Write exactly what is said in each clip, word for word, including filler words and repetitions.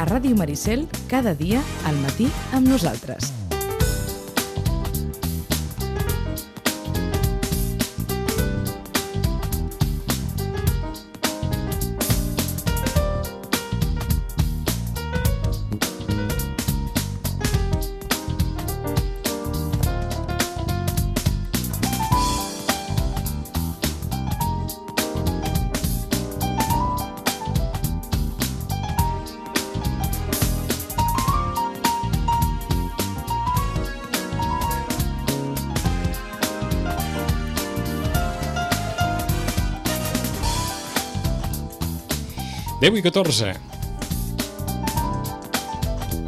a Ràdio Maricel cada dia al matí amb nosaltres. deu i catorze.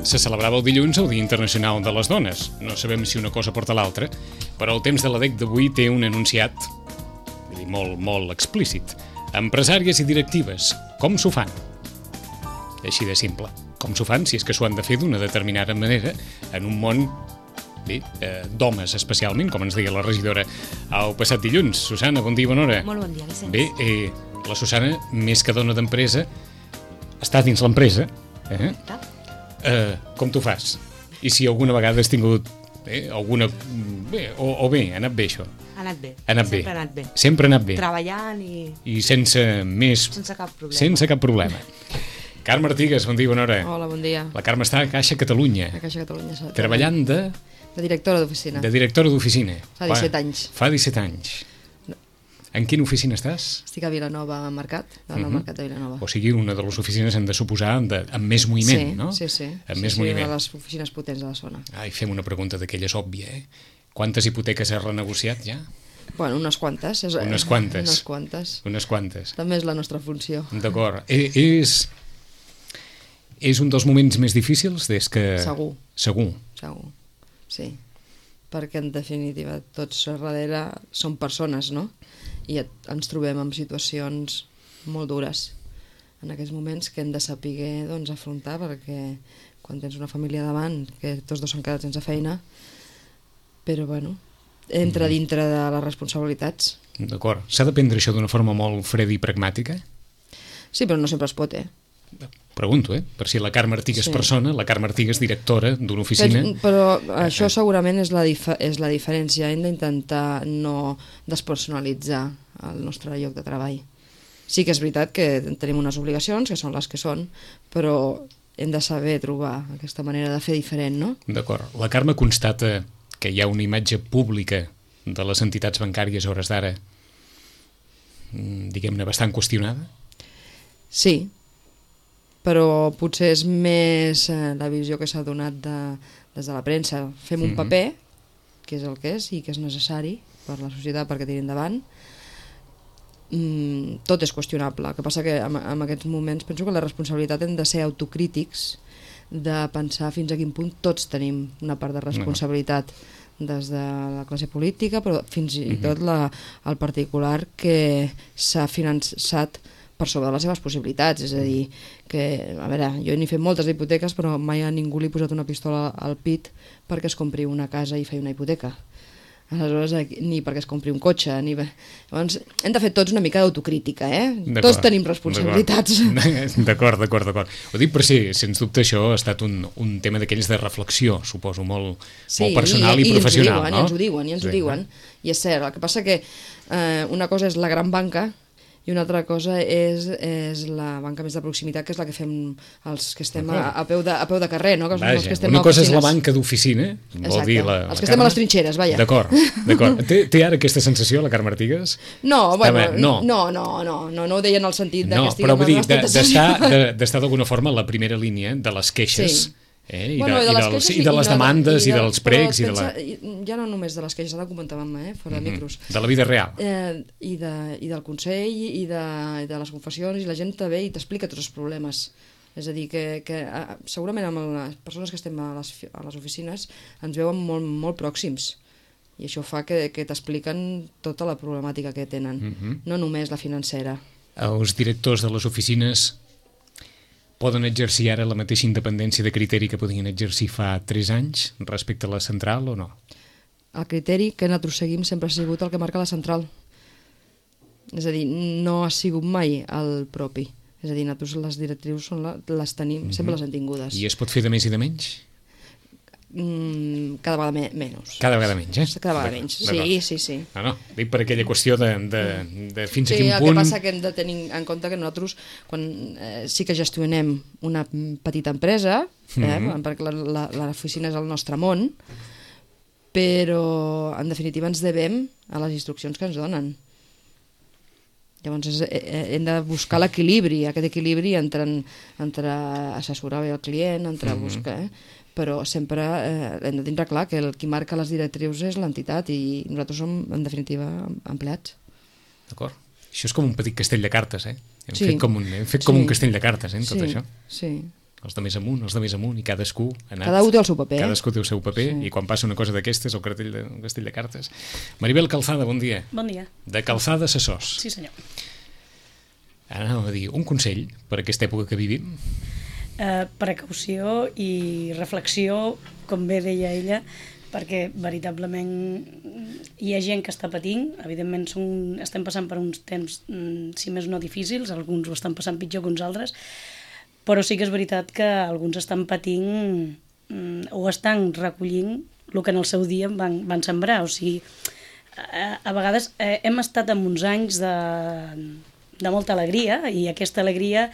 Se celebrava el dilluns el Dia Internacional de les Dones. No sabem si una cosa porta l'altra, però el temps de la D E C d'avui té un enunciat vull dir, molt, molt explícit. Empresàries i directives, com s'ho fan? Així de simple. Com s'ho fan, si és que s'ho han de fer d'una determinada manera, en un món bé, eh, d'homes especialment, com ens deia la regidora el passat dilluns. Susana, bon dia, bona hora. Molt bon dia, Vicenç. Bé, eh, la Susana, més que dona d'empresa, està dins l'empresa. Eh? Eh, com t'ho fas? I si alguna vegada has tingut eh, alguna... Bé, o, o bé, ha anat bé això? Ha anat bé. Ha anat Sempre bé. ha anat bé. Sempre ha anat bé. Treballant i... I sense més... Sense cap problema. Sense cap problema. Carme Artigas, bon dia, bona hora. Hola, bon dia. La Carme està a Caixa Catalunya. A Caixa Catalunya. Exactament. Treballant de... De directora d'oficina. De directora d'oficina. Fa disset anys. Fa disset anys. En quina oficina estàs? Estic a Vilanova Mercat, al Uh-huh. Mercat de Vilanova. O sigui, una de les oficines hem de suposar de, amb més moviment, sí, no? Sí, sí. Amb sí, més sí, moviment. de les oficines potents de la zona. Ai, fem una pregunta d'aquelles òbvia, eh? Quantes hipoteques has renegociat ja? Bueno, unes quantes. És, Unes quantes. Unes quantes. Unes quantes. També és la nostra funció. D'acord. E és... És un dels moments més difícils des que... Segur. Segur. Segur, sí. Perquè, en definitiva, tots a darrere som persones, no? I et, ens trobem en situacions molt dures en aquests moments que hem de saber doncs, afrontar, perquè quan tens una família davant, que tots dos s'han quedat sense feina, però bueno, entra dintre de les responsabilitats. D'acord. S'ha de prendre això d'una forma molt freda i pragmàtica? Sí, però no sempre es pot, eh? Pregunto, eh? Per si la Carme Artigas Sí. persona, la Carme Artigas directora d'una oficina... Però, però això segurament és la, dif és la diferència. Hem d'intentar no despersonalitzar el nostre lloc de treball. Sí que és veritat que tenim unes obligacions, que són les que són, però hem de saber trobar aquesta manera de fer diferent, no? D'acord. La Carme constata que hi ha una imatge pública de les entitats bancàries a hores d'ara, diguem-ne, bastant qüestionada? Sí, però potser és més eh, la visió que s'ha donat de, des de la premsa. Fem un Mhm. paper, que és el que és i que és necessari per la societat perquè tiri endavant. Mm, tot és qüestionable. El que passa que en, en aquests moments penso que la responsabilitat hem de ser autocrítics, de pensar fins a quin punt tots tenim una part de responsabilitat des de la classe política, però fins i tot la, el particular que s'ha finançat per sobre de les seves possibilitats, és a dir, que, a veure, jo n'he fet moltes hipoteques, però mai a ningú li he posat una pistola al pit perquè es compri una casa i faci una hipoteca. Aleshores, ni perquè es compri un cotxe, ni... Llavors, hem de fer tots una mica d'autocrítica, eh? Tots tenim responsabilitats. D'acord, d'acord, d'acord. Ho dic per si, sens dubte, això ha estat un, un tema d'aquells de reflexió, suposo, molt, sí, molt personal i, i, i professional, diuen, no? I ens ho diuen, i ens sí, ho diuen. I és cert, el que passa que eh, una cosa és la gran banca i una altra cosa és, és la banca més de proximitat, que és la que fem els que estem a, a, peu, de, a peu de carrer, no? Que Vaja, els que estem una a cosa és oficines. la banca d'oficina, vol dir la, els la que estem a les trinxeres, vaja. D'acord, d'acord. Té, té ara aquesta sensació, la Carme Artigas? No, bueno, no. no, no, no, no, no ho deia en el sentit de no, que estiguem però vull dir, a les d'estar d'estar d'alguna forma a la primera línia de les queixes, sí. eh? I, bueno, de, de, i, les dels, queixes i de les no, demandes i, de, dels pregs i de la... pensa, ja no només de les queixes, ara ho comentàvem, eh, fora de micros. De la vida real. Eh, i, de, I del Consell i de, i de les confessions, i la gent també i t'explica tots els problemes. És a dir, que, que eh, segurament amb les persones que estem a les, a les oficines ens veuen molt, molt pròxims. I això fa que, que t'expliquen tota la problemàtica que tenen, Uh-huh. no només la financera. Els directors de les oficines poden exercir ara la mateixa independència de criteri que podien exercir fa tres anys respecte a la central o no? El criteri que nosaltres seguim sempre ha sigut el que marca la central. És a dir, no ha sigut mai el propi. És a dir, nosaltres les directrius són la, les tenim, mm-hmm. sempre les hem tingudes. I es pot fer de més i de menys? Mm, cada vegada me menys. Cada vegada menys, eh? Cada vegada menys, sí, sí, sí. No, no, dic per aquella qüestió de, de, de fins sí, a quin el punt... Sí, el que passa que hem de tenir en compte que nosaltres, quan eh, sí que gestionem una petita empresa, eh, mm-hmm. perquè l'oficina és el nostre món, però en definitiva ens devem a les instruccions que ens donen. Llavors és, eh, hem de buscar l'equilibri, aquest equilibri entre, entre assessorar bé el client, entre mm-hmm. buscar... Eh? Però sempre eh, hem de tindre clar que el qui marca les directrius és l'entitat i nosaltres som, en definitiva, empleats. D'acord. Això és com un petit castell de cartes, eh? Hem sí. fet com un, hem fet sí. com un castell de cartes, eh, en tot sí. això. Sí. Els de més amunt, els de més amunt, i cadascú ha anat... Cada un té el seu paper. Cadascú té el seu paper, sí. I quan passa una cosa d'aquestes, el cartell de, un castell de cartes. Maribel Calzada, bon dia. Bon dia. De Calzada Assessors. Sí, senyor. Ara anàvem a dir, un consell per aquesta època que vivim? Uh, precaució i reflexió, com bé deia ella, perquè veritablement hi ha gent que està patint, evidentment som, estem passant per uns temps, si més no difícils, alguns ho estan passant pitjor que uns altres, però sí que és veritat que alguns estan patint o estan recollint el que en el seu dia van, van sembrar, o sigui, a, a vegades eh, hem estat en uns anys de, de molta alegria, i aquesta alegria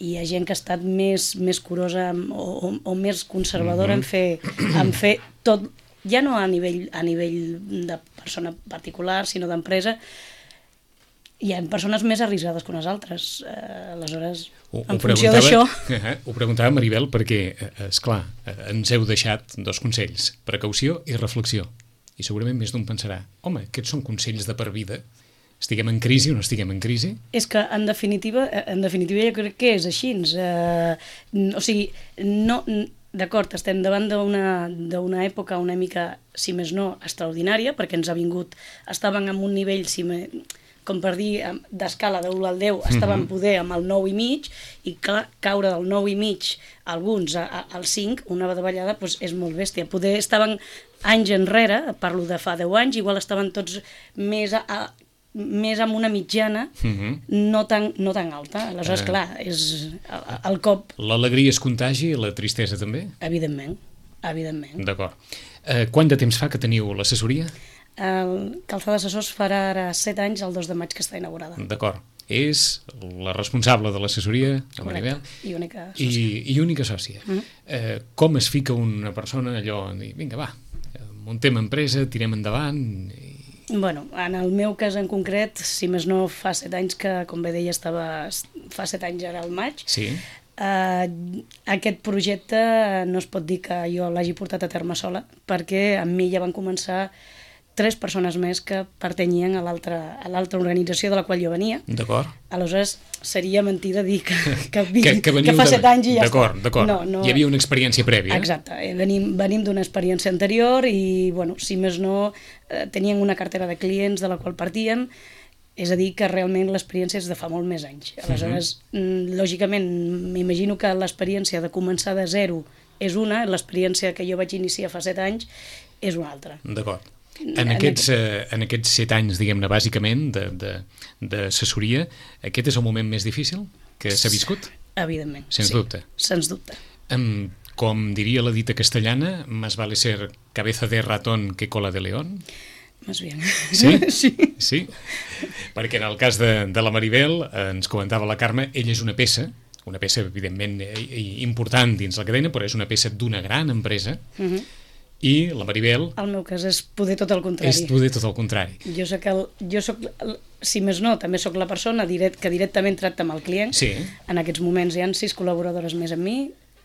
hi ha gent que ha estat més, més curosa o, o, o més conservadora mm-hmm. en, fer, en fer tot, ja no a nivell, a nivell de persona particular, sinó d'empresa. Hi ha persones més arriscades que unes altres. Eh, aleshores, ho, en ho funció d'això... Eh, ho preguntava Maribel perquè, eh, esclar, eh, ens heu deixat dos consells, precaució i reflexió. I segurament més d'un pensarà, home, aquests són consells de per vida. Estiguem en crisi o no estiguem en crisi? És que, en definitiva, en definitiva jo crec que és així. Eh, o sigui, no, d'acord, estem davant d'una època una mica, si més no, extraordinària, perquè ens ha vingut, estàvem en un nivell, si me, com per dir, d'escala de u al deu, estàvem mm-hmm. poder amb el nou i mig, i clar, caure del nou i mig alguns a, a, al cinc, una davallada, doncs és molt bèstia. Poder estaven anys enrere, parlo de fa deu anys, igual estaven tots més a, a més amb una mitjana, uh-huh. no, tan, no tan alta. Aleshores, uh, clar, és el, el cop... L'alegria es contagi, la tristesa també? Evidentment, evidentment. D'acord. Uh, quant de temps fa que teniu l'assessoria? El Calzada Assessors farà ara set anys, el dos de maig, que està inaugurada. D'acord. És la responsable de l'assessoria, la Maribel, i única sòcia. I, i única sòcia. Uh-huh. uh, com es fica una persona allò, dir, vinga, va, muntem empresa, tirem endavant... I... Bueno, en el meu cas en concret, si més no fa set anys que, com bé deia, estava, fa set anys ara al maig, sí. uh, aquest projecte no es pot dir que jo l'hagi portat a terme sola, perquè amb mi ja van començar tres persones més que pertanyien a l'altra organització de la qual jo venia. D'acord. Aleshores, seria mentida dir que, que, vi, que, que, que fa set anys i ja d'acord, està. D'acord, no, no... Hi havia una experiència prèvia. Exacte. Venim, venim d'una experiència anterior i, bueno, si més no, eh, tenien una cartera de clients de la qual partien, és a dir, que realment l'experiència és de fa molt més anys. Aleshores, uh-huh. lògicament, m'imagino que l'experiència de començar de zero és una, l'experiència que jo vaig iniciar fa set anys és una altra. D'acord. En aquests, eh, en aquests set anys, diguem-ne, bàsicament, d'assessoria, aquest és el moment més difícil que s'ha viscut? Evidentment, Sens sí. dubte. Sens dubte. Um, com diria la dita castellana, más vale ser cabeza de ratón que cola de león? Más bien. Sí? Sí. Sí? Perquè en el cas de, de la Maribel, eh, ens comentava la Carme, ella és una peça, una peça, evidentment, important dins la cadena, però és una peça d'una gran empresa, uh-huh. I la Maribel... El meu cas és poder tot el contrari. És poder tot el contrari. Jo soc, el, jo soc el, si més no, també soc la persona direct, que directament tracta amb el client. Sí. En aquests moments hi ha sis col·laboradores més amb mi,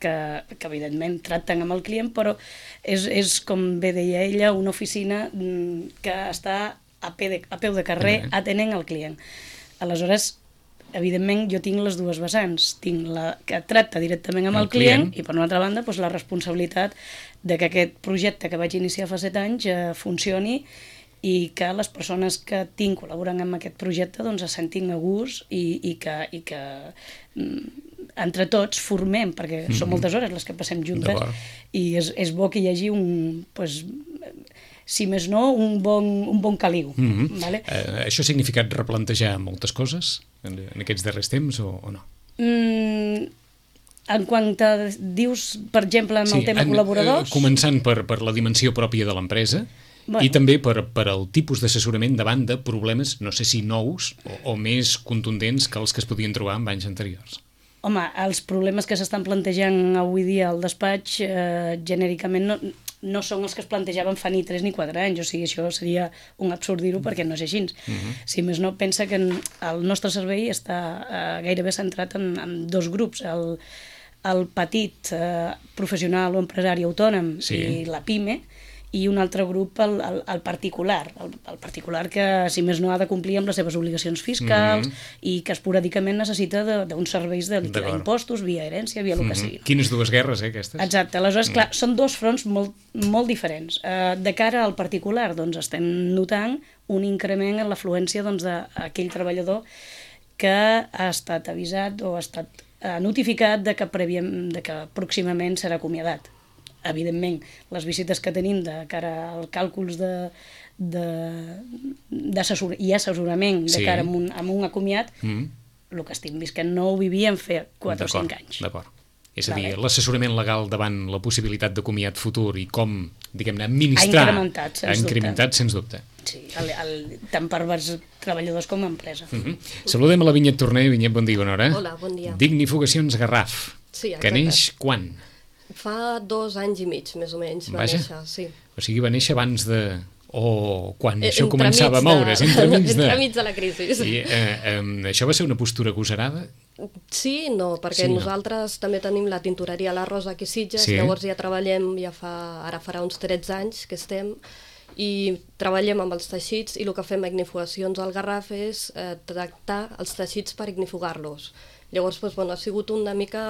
que, que evidentment tracten amb el client, però és, és, com bé deia ella, una oficina que està a, peu de, a peu de carrer uh-huh. atenent el client. Aleshores, evidentment, jo tinc les dues vessants. Tinc la que tracta directament amb el, el client, client i, per una altra banda, doncs, la responsabilitat de que aquest projecte que vaig iniciar fa set anys eh, funcioni i que les persones que tinc col·laborant amb aquest projecte doncs, es sentin a gust i, i que, i que mm, entre tots formem, perquè mm-hmm. són moltes hores les que passem juntes i és, és bo que hi hagi un... Pues, si més no, un bon, un bon caliu. Mm-hmm. Vale? Uh, això ha significat replantejar moltes coses en, en aquests darrers temps o, o no? Mm, en quant a, dius, per exemple, en sí, el tema en, col·laboradors... Eh, començant per, per la dimensió pròpia de l'empresa, bueno. I també per, per el tipus d'assessorament davant de problemes, no sé si nous o, o més contundents que els que es podien trobar en anys anteriors. Home, els problemes que s'estan plantejant avui dia al despatx eh, genèricament no, no són els que es plantejaven fa ni tres ni quatre anys, o sigui, això seria un absurd dir-ho perquè no és així. Uh-huh. Si més no, pensa que el nostre servei està eh, gairebé centrat en, en dos grups, el, el petit eh, professional o empresari autònom sí. I la PIME, i un altre grup, el, el, el particular, el, el particular que, si més no, ha de complir amb les seves obligacions fiscals mm-hmm. i que esporàdicament necessita d'uns serveis de liquidar impostos, via herència, via el mm-hmm. que sigui. No? Quines dues guerres, eh, aquestes? Exacte, aleshores, mm. clar, són dos fronts molt, molt diferents. Uh, de cara al particular, doncs, estem notant un increment en l'afluència doncs, d'aquell treballador que ha estat avisat o ha estat uh, notificat de que, prèviam, de que pròximament serà acomiadat. Evidentment, les visites que tenim de cara als càlculs de, de, d'assessor, i assessorament de sí. Cara a un, a un acomiat, mm. el que estic visquent no ho vivíem fer quatre o cinc anys. D'acord. És a dir, vale. L'assessorament legal davant la possibilitat d'acomiat futur i com, diguem-ne, administrar... Ha incrementat, sens ha incrementat, dubte. Sens dubte. Sí, el, el, tant per als treballadors com a empresa. Mm-hmm. Saludem a la Vinyet Torner. Vinyet, bon dia, bona hora. Hola, bon dia. Dignifugacions Garraf. Sí, que neix quan? Fa dos anys i mig, més o menys, va Vaja. néixer, sí. O sigui, va néixer abans de... o quan eh, això començava a moure's, de... entremig de... entremig de la crisi. I, eh, eh, això va ser una postura agosarada? Sí, no, perquè sí, no. Nosaltres també tenim la tintoreria La Rosa aquí a Sitges, sí. Llavors ja treballem, ja fa, ara farà uns tretze anys que estem, i treballem amb els teixits i el que fem a ignifugacions al Garraf és eh, tractar els teixits per ignifugar-los. Llavors, doncs, bueno, ha sigut una mica...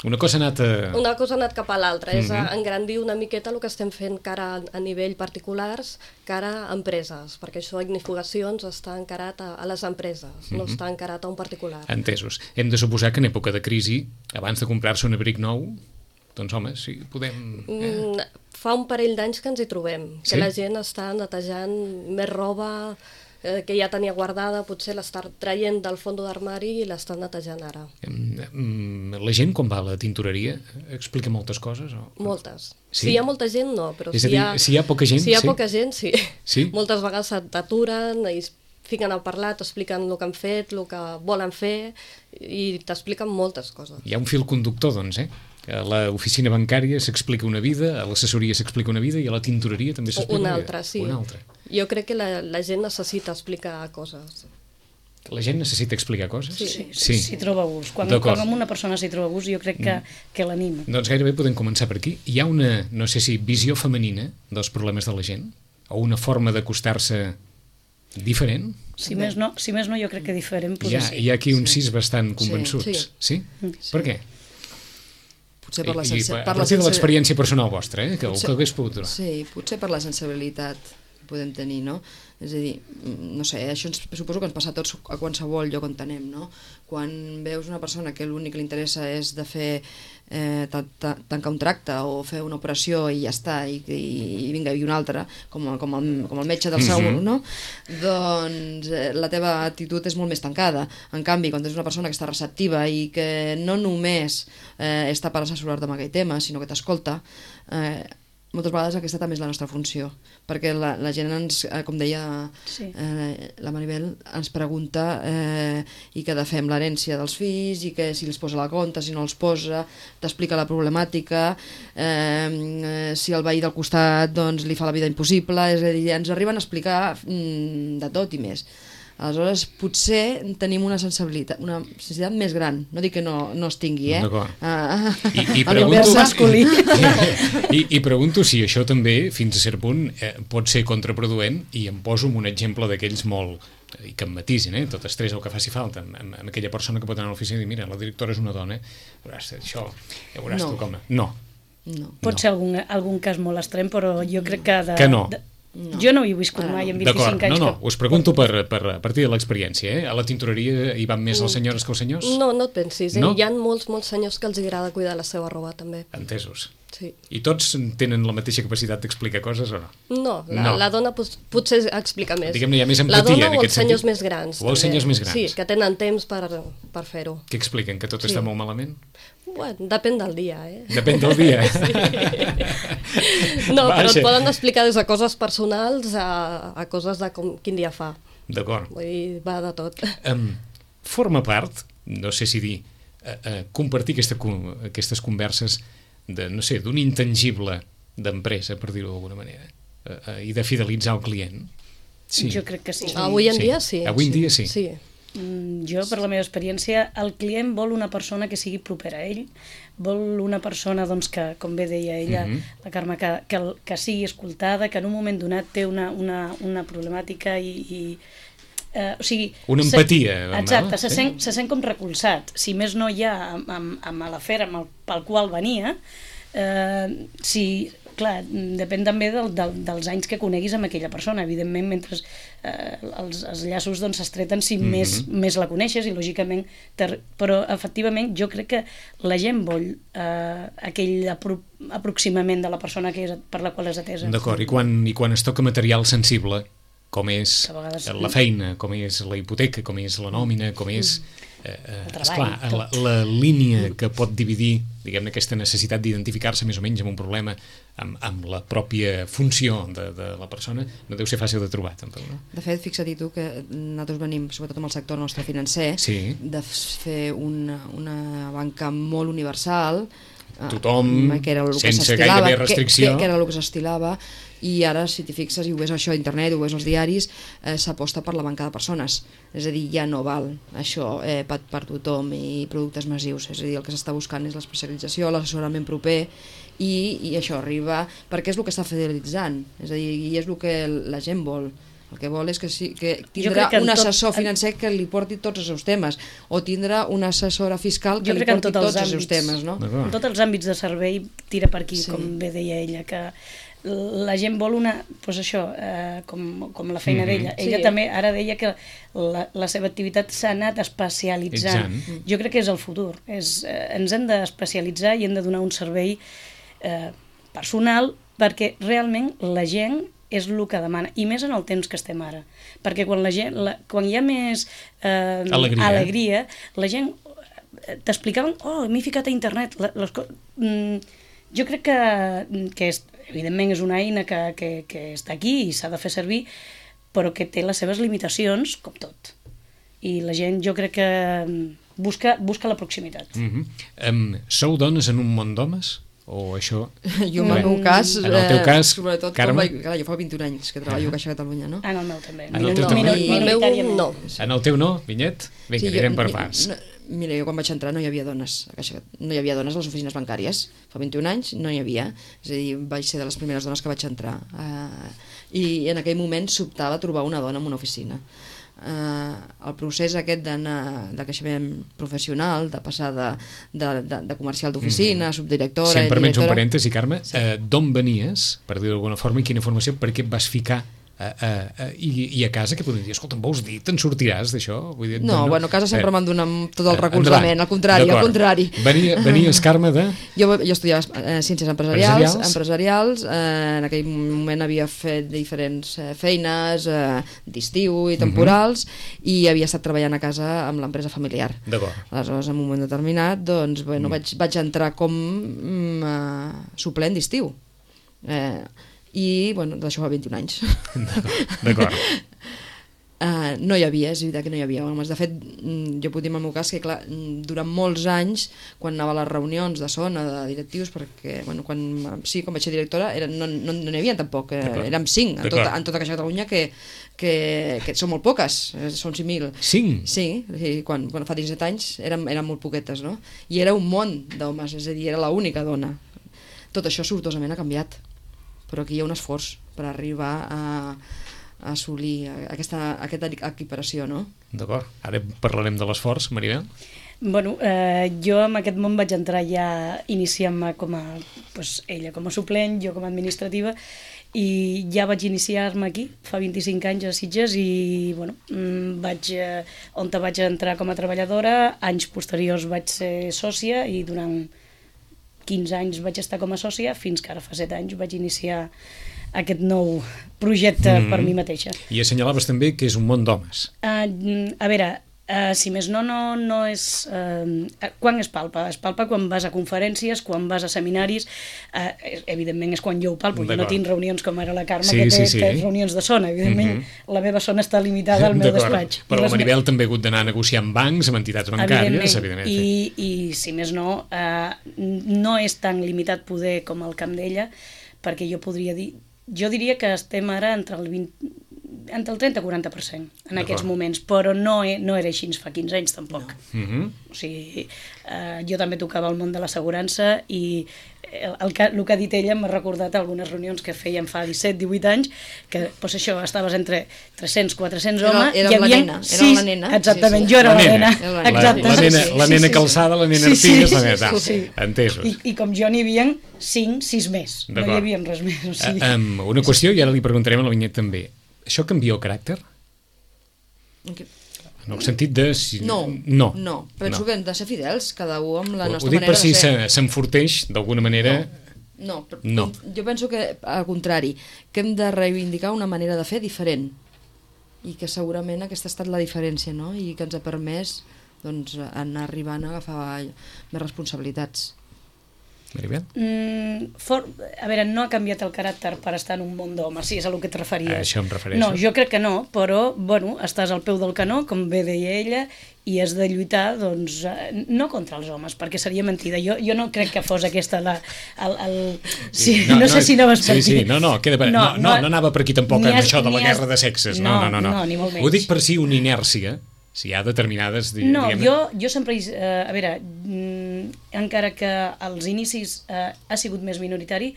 Una cosa ha anat... A... Una cosa ha anat cap a l'altra, és mm-hmm. engrandir una miqueta el que estem fent cara a nivell particulars, cara a empreses, perquè això ignifugacions està encarat a, a les empreses, mm-hmm. no està encarat a un particular. Entesos. Hem de suposar que en època de crisi, abans de comprar-se un abric nou, doncs home, sí, podem... Eh? Mm, fa un parell d'anys que ens hi trobem, que sí? La gent està netejant més roba... que ja tenia guardada, potser l'està traient del fons d'armari i l'està netejant ara. La gent, quan va a la tintoreria, explica moltes coses? O... Moltes. Sí? Si hi ha molta gent, no, però és si, a dir, hi ha, si hi ha poca gent, si hi ha sí? poca gent, sí. Sí? Moltes vegades t'aturen i fiquen a parlar, t'expliquen el que han fet, el que volen fer, i t'expliquen moltes coses. Hi ha un fil conductor, doncs, eh? A l'oficina bancària s'explica una vida, a l'assessoria s'explica una vida i a la tintoreria també s'explica una, una altra, sí. Una altra. Jo crec que la, la gent necessita explicar coses. La gent necessita explicar coses? Sí, sí, sí. S'hi troba gust. Quan, quan una persona s'hi troba gust, jo crec que, que l'anima. Doncs gairebé podem començar per aquí. Hi ha una, no sé si, visió femenina dels problemes de la gent? O una forma d'acostar-se diferent? Si més no, si més no jo crec que diferent hi ha, ser. Hi ha aquí uns sis bastant convençuts. Sí? Sí? sí. Per què? Potser per la I, sensi... I, a per partir la de l'experiència personal vostra, eh? que, potser, que hagués pogut donar. Sí, potser per la sensibilitat que podem tenir, no? És a dir, no sé, això ens, suposo que ens passa a tots a qualsevol lloc on anem, no? Quan veus una persona que l'únic que li interessa és de fer eh, tancar un tracte o fer una operació i ja està, i, i, i vinga, i una altra, com, com, el, com el metge del segur, mm-hmm. no? Doncs eh, la teva actitud és molt més tancada. En canvi, quan tens una persona que està receptiva i que no només eh, està per assessorar-te amb aquell tema, sinó que t'escolta, eh, moltes vegades aquesta també és la nostra funció, perquè la, la gent ens, eh, com deia sí. eh, la Maribel, ens pregunta eh, i què de fer amb l'herència dels fills, i que si els posa a la compta, si no els posa, t'explica la problemàtica, eh, si el veí del costat doncs, li fa la vida impossible, és a dir, ens arriben a explicar mm, de tot i més. Aleshores, potser tenim una sensibilitat, una sensibilitat més gran. No dic que no, no es tingui, eh? D'acord. Ah, I, i, pregunto, masculí. I, I pregunto si això també, fins a cert punt, eh, pot ser contraproduent, i em poso un exemple d'aquells molt... i que em matisin, eh? Tot estrès o que faci falta, amb, amb aquella persona que pot anar a l'oficina i dir, mira, la directora és una dona, veuràs, això, ja veuràs no. tu com... No. no. Pot no. ser algun, algun cas molt extrem, però jo crec que... De, que no. De, No. Jo no ho he viscut ah, mai en vint-i-cinc anys. No, no, que... us pregunto per, per, a partir de l'experiència, eh? A la tintoreria hi van més les senyores que els senyors? No, no et pensis, eh? No? Hi ha molts, molts senyors que els agrada cuidar la seva roba, també. Entesos. Sí. I tots tenen la mateixa capacitat d'explicar coses o no? No, la, no. la dona pot, potser explica més. Diguem-ne, hi ha més empatia la dona en o aquest els senyors sentit? més grans. O els senyors més grans. Sí, que tenen temps per, per fer-ho. Què expliquen? Que tot Sí. està molt malament? Bueno, depèn del dia, eh? Depèn del dia. Sí. No, Vaja. però et poden explicar des de coses personals a, a coses de com, quin dia fa. D'acord. Vull dir, va de tot. Um, forma part, no sé si dir, uh, uh, compartir aquesta, aquestes converses de, no sé, d'un intangible d'empresa, per dir-ho d'alguna manera, uh, uh, i de fidelitzar el client. Sí. Jo crec que sí. Avui en Sí. dia sí. Avui en dia sí. Sí. Mm, Jo, per la meva experiència, el client vol una persona que sigui propera a ell, vol una persona doncs, que, com bé deia ella, Mhm. la Carme, que, que, que sigui escoltada, que en un moment donat té una, una, una problemàtica i... i eh, o sigui, Una se- empatia, no? Exacte, se, Sí. sent, se sent com recolzat. Si més no hi ha amb, amb, amb l'afer amb el, pel qual venia, eh, si... Clar, depèn també del, del, dels anys que coneguis amb aquella persona. Evidentment, mentre eh, els, els llaços doncs, s'estreten si Mhm. més, més la coneixes i, lògicament, ter... però, efectivament, jo crec que la gent vol eh, aquell apro aproximament de la persona que és, per la qual és atesa. D'acord, i quan, i quan es toca material sensible, com és Que a vegades- la feina, com és la hipoteca, com és la nòmina, com és... Eh, eh, El treball, esclar, la, tot. la línia que pot dividir, diguem-ne, aquesta necessitat d'identificar-se més o menys amb un problema, amb, amb la pròpia funció de, de la persona, no deu ser fàcil de trobar, tampoc, no? De fet, fixa't tu que nosaltres venim, sobretot amb el sector nostre financer, Sí. de fer una, una banca molt universal, eh, Tothom, que era el que sense s'estilava, gairebé que- restricció. Que, que era el que s'estilava, i ara, si t'hi fixes, i ho veus això a internet, ho veus als diaris, eh, s'aposta per la banca de persones. És a dir, ja no val això eh, per, per tothom i productes massius. És a dir, el que s'està buscant és l'especialització, l'assessorament proper, i, i això arriba, perquè és el que està fidelitzant. És a dir, i és el que la gent vol. El que vol és que, sí, que tindrà crec que en un tot- assessor financer que li porti tots els seus temes, o tindrà una assessora fiscal que Jo li crec que en porti tots els tots els seus àmbits. temes, no? D'acord. En tots els àmbits de servei tira per aquí, Sí. sí. Com bé deia ella, que la gent vol una, doncs això, eh, com, com la feina Mhm. d'ella. Ella Sí. també ara deia que la, la seva activitat s'ha anat especialitzant. Exacte. Jo crec que és el futur. És, eh, ens hem d'especialitzar i hem de donar un servei eh, personal perquè realment la gent és el que demana, i més en el temps que estem ara, perquè quan, la gent, la, quan hi ha més eh, Alegria. alegria, la gent eh, t'explicaven, oh, m'he ficat a internet, la- les co- mm, jo crec que, que és, evidentment és una eina que, que, que està aquí i s'ha de fer servir, però que té les seves limitacions, com tot. I la gent, jo crec que mm, busca, busca la proximitat. Mhm. Em, sou dones en un món d'homes? O això... Jo, en el Bé, meu cas, en el teu eh, cas, sobretot, Carme? quan vaig, clar, jo fa vint-i-un anys que treballo a Caixa Catalunya, no? En el meu també. En el teu no, també? no, el meu Minoritàriament. no. En el teu no, Vinyet? Vinga, Sí, anirem jo- per mi- parts. No, mira, jo quan vaig entrar no hi havia dones a Caixa, no hi havia dones a les oficines bancàries. Fa vint-i-un anys no hi havia. És a dir, vaig ser de les primeres dones que vaig entrar. Uh, I en aquell moment sobtava trobar una dona en una oficina. Uh, el procés aquest d'anar de creixement professional, de passar de, de, de, de comercial d'oficina, mm. subdirectora... Si em permets un directora... parèntesi, Carme, sí. eh, d'on venies, per dir-ho d'alguna forma, i quina formació, per què et vas ficar eh, eh, eh, i, i a casa, que podem dir, escolta, em vols dir, te'n sortiràs d'això? Vull dir, No, bueno, a casa sempre Eh, m'han donat tot el eh, recolzament, endavant. al contrari, al D'acord. contrari. Venia, venies, Carme, de... Jo, jo estudiava eh, ciències empresarials, Empresarials. empresarials, eh, en aquell moment havia fet diferents eh, feines eh, d'estiu i temporals, uh-huh. i havia estat treballant a casa amb l'empresa familiar. D'acord. Aleshores, en un moment determinat, doncs, bueno, mm. vaig, vaig entrar com mm, uh, suplent d'estiu. Eh, I, bueno, d'això fa vint-i-un anys. D'acord. Uh, no hi havia, és veritat que no hi havia homes. De fet, mm, jo puc dir en el meu cas que clar, mm, durant molts anys, quan anava a les reunions de zona, de directius, perquè bueno, quan, sí, quan vaig ser directora era, no, no, no n'hi havia tampoc, eh, D'acord. érem cinc en D'acord. tota, en tota Caixa Catalunya, que, que, que són molt poques, eh, són cinc mil. Cinc? Sí, sí, quan, quan fa disset anys eren, eren molt poquetes, no? I era un món d'homes, és a dir, era l'única dona. Tot això sortosament ha canviat, però aquí hi ha un esforç per arribar a, a assolir aquesta, aquesta equiparació, no? D'acord. Ara parlarem de l'esforç, Maribel. Bueno, eh, jo en aquest món vaig entrar ja iniciant-me com a, doncs, ella com a suplent, jo com a administrativa, i ja vaig iniciar-me aquí, fa vint-i-cinc anys a Sitges, i bueno, mm, vaig, eh, on vaig entrar com a treballadora, anys posteriors vaig ser sòcia, i durant quinze anys vaig estar com a sòcia, fins que ara fa set anys vaig iniciar aquest nou projecte mm. per mi mateixa. I assenyalaves també que és un món d'homes. Uh, a veure, uh, si més no, no, no és... Uh, quan es palpa? Es palpa quan vas a conferències, quan vas a seminaris, uh, evidentment és quan jo ho palpo, jo no tinc reunions com ara la Carme, sí, que té, sí, sí. té reunions de zona, evidentment mm-hmm. la meva zona està limitada al meu despatx. Però la Maribel també ha hagut d'anar a negociar amb bancs, amb entitats bancàries, evidentment. I, i si més no, uh, no és tan limitat poder com el camp d'ella, perquè jo podria dir... Jo diria que estem ara entre el vint, entre el trenta i quaranta per cent en aquests moments, però no, no era així fa quinze anys tampoc. No. Mm-hmm. O sigui, eh, jo també tocava el món de l'assegurança i el, el, que, el que ha dit ella m'ha recordat algunes reunions que fèiem fa disset divuit anys, que doncs això, estaves entre tres-cents quatre-cents homes. Era, era la nena, era sis, la nena. Exactament, sí, sí. jo era la, la nena. nena. La, la, la nena, la nena sí, sí, calçada, la nena sí, artiga, sí, la nena. Sí, sí. Entesos. I, I com jo n'hi havia cinc, sis més. No hi havia res més. O sigui. uh, um, una qüestió, i ara li preguntarem a la Vinyet també. Això canvia el caràcter? Okay. En el sentit de... Si... No, no, no. Penso no. que hem de ser fidels, cada un amb la ho, nostra ho dic manera per si de ser. s'enforteix d'alguna manera... No, no, no. Jo penso que, al contrari, que hem de reivindicar una manera de fer diferent i que segurament aquesta ha estat la diferència, no? I que ens ha permès doncs, anar arribant a agafar més responsabilitats. Maribel? Mm, for, a veure, no ha canviat el caràcter per estar en un món d'homes, si és a el que et referies. A això em refereixo. No, jo crec que no, però, bueno, estàs al peu del canó, com bé deia ella, i has de lluitar, doncs, no contra els homes, perquè seria mentida. Jo, jo no crec que fos aquesta la... El, el... Sí, no, no, no sé si anaves per sí, aquí. Sí, no, no, queda per... no, no, no, no anava per aquí tampoc amb has, això de la has... guerra de sexes. No, no, no. no. no ni molt menys. Ho dic per si una inèrcia, si hi ha determinades... No, jo, jo sempre... Eh, a veure, mm, encara que als inicis eh, ha sigut més minoritari,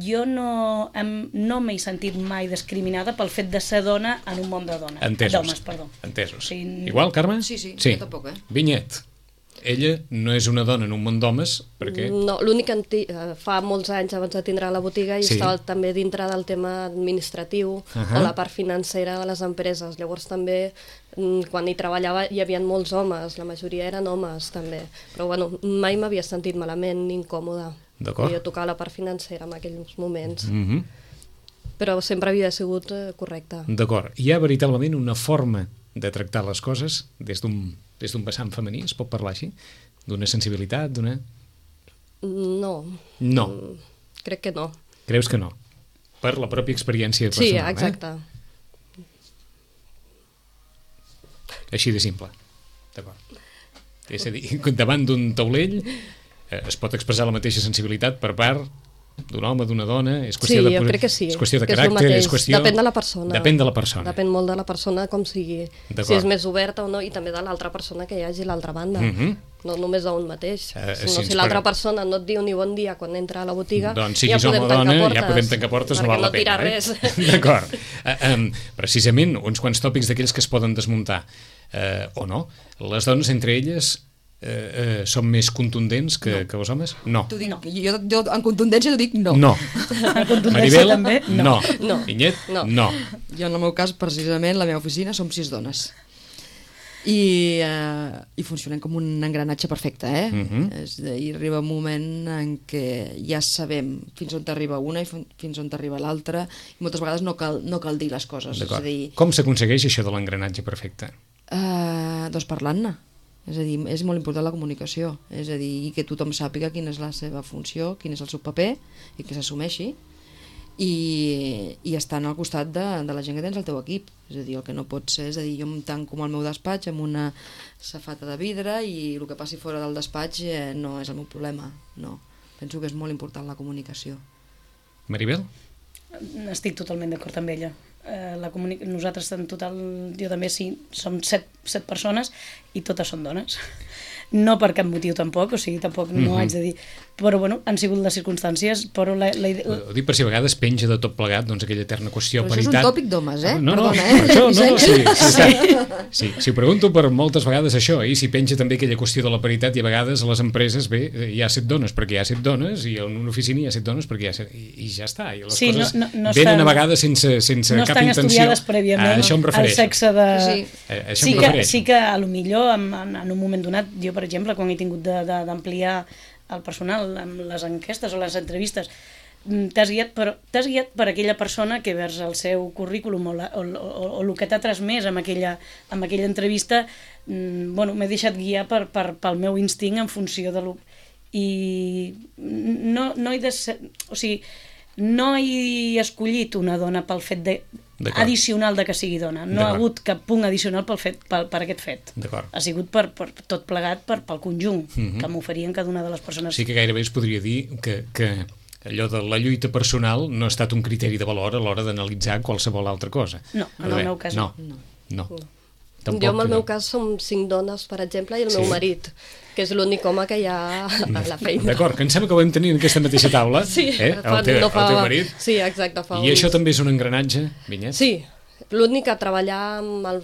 jo no, em, no m'he sentit mai discriminada pel fet de ser dona en un món de dones. Entesos. D'homes, perdó. Entesos. Sí. Igual, Carme? Sí, sí, sí. jo tampoc, eh? Vinyet. Ella no és una dona en un món d'homes, perquè... No, l'únic que ti, fa molts anys abans de tindre la botiga i sí. estava també dintre del tema administratiu uh-huh. o la part financera de les empreses. Llavors també, quan hi treballava, hi havia molts homes, la majoria eren homes també. Però bueno, mai m'havia sentit malament ni incòmoda. D'acord. Jo tocava la part financera en aquells moments. Uh-huh. Però sempre havia sigut eh, correcta. D'acord. Hi ha veritablement una forma de tractar les coses des d'un des d'un vessant femení, es pot parlar així? D'una sensibilitat, d'una... No. No. Crec que no. Creus que no? Per la pròpia experiència personal, sí, exacte. Eh? Així de simple. D'acord. És a dir, davant d'un taulell eh, es pot expressar la mateixa sensibilitat per part d'un home, d'una dona, és qüestió sí, de, jo crec que sí, és qüestió de que caràcter, és, és qüestió... Depèn de la persona. Depèn de la persona. Depèn molt de la persona com sigui. Si és més oberta o no, i també de l'altra persona que hi hagi a l'altra banda. Uh-huh. No només d'un mateix. Uh, si no, si l'altra per... persona no et diu ni bon dia quan entra a la botiga, doncs, ja podem home, tancar dona, portes. Ja podem tancar portes, no val la pena. Eh? Res. D'acord. Uh, um, precisament, uns quants tòpics d'aquells que es poden desmuntar. Uh, o no. Les dones, entre elles... Eh, eh, són més contundents que, no. que els homes? No. Dic, no. Jo, jo en contundència t'ho dic no. No. En contundència Maribel, també? No. no. Vinyet? No. No. Jo en el meu cas, precisament, la meva oficina som sis dones. I, eh, i funcionem com un engranatge perfecte, eh? Uh-huh. És a dir, arriba un moment en què ja sabem fins on t'arriba una i fins on t'arriba l'altra, i moltes vegades no cal, no cal dir les coses. És a dir, com s'aconsegueix això de l'engranatge perfecte? Uh, doncs parlant-ne. És a dir, és molt important la comunicació, és a dir, que tothom sàpiga quina és la seva funció, quin és el seu paper, i que s'assumeixi, i, i estan al costat de, de la gent que tens al teu equip. És a dir, el que no pot ser, és a dir, jo em tanco al meu despatx amb una safata de vidre i el que passi fora del despatx eh, no és el meu problema, no. Penso que és molt important la comunicació. Maribel? Estic totalment d'acord amb ella. Eh, la comuni... Nosaltres en total, jo també sí, som set, set persones i totes són dones. No per cap motiu tampoc, o sigui, tampoc no mm-hmm. haig de dir, però bueno, han sigut les circumstàncies, però la, la idea... Ho dic per si a vegades penja de tot plegat, doncs aquella eterna qüestió però paritat. Això és un tòpic d'homes, eh? No, no, perdona, eh? Això, no, no, sí, sí, sí. Sí, sí, ho pregunto per moltes vegades això, i si penja també aquella qüestió de la paritat, i a vegades a les empreses, bé, hi ha set dones perquè hi ha set dones, i en una oficina hi ha set dones perquè hi ha set... I, i ja està, i les sí, coses no, no, no venen estan, a vegades sense, sense no cap intenció. No estan estudiades prèviament al sexe de... Sí, a, això sí, que, sí que a lo millor en, en un moment donat, jo per exemple, quan he tingut d'ampliar el personal amb les enquestes o les entrevistes, t'has guiat, per, t'has guiat per aquella persona que vers el seu currículum o, la, o, o, o el que t'ha transmès amb aquella, amb aquella entrevista, mm, bueno, m'he deixat guiar per, per, pel meu instint en funció de lo... I no, no he de ser... O sigui, no he escollit una dona pel fet de, addicional de que sigui dona. No ha hagut cap punt addicional pel fet, pel, per aquest fet. Ha sigut per, per tot plegat per, pel conjunt mm-hmm. que m'oferien cada una de les persones. Sí que gairebé es podria dir que... que... allò de la lluita personal no ha estat un criteri de valor a l'hora d'analitzar qualsevol altra cosa. No, en el meu cas no. No, no. no. Tampoc, jo, en el no. meu cas, som cinc dones, per exemple, i el sí. meu marit, que és l'únic home que hi ha a la feina. D'acord, que em sembla que ho vam tenir en aquesta mateixa taula, sí, eh? fa, el, teu, no fa, el teu marit. Sí, exacte. Fa I uns... això també és un engranatge, Vinyet? Sí, l'únic que treballar amb el,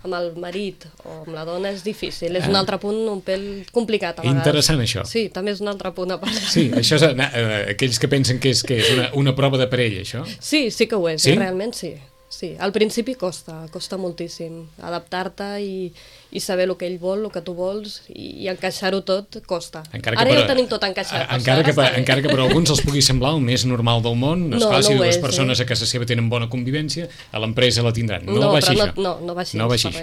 amb el marit o amb la dona és difícil, és ah. un altre punt un pèl complicat a vegades. Interessant això. Sí, també és un altre punt a part. Sí, això és eh, aquells que pensen que és, que és una, una prova de parella, això? Sí, sí que ho és, sí? eh, realment sí. Sí, al principi costa, costa moltíssim adaptar-te i, i saber el que ell vol, el que tu vols, i, i encaixar-ho tot costa. Ara per, ja ho tenim tot encaixat. Encara que, per, encara que per alguns els pugui semblar el més normal del món, no, esclar, no si dues és, persones eh? a casa seva tenen bona convivència, a l'empresa la tindran. No, no va així no, això. No, no va així, no va així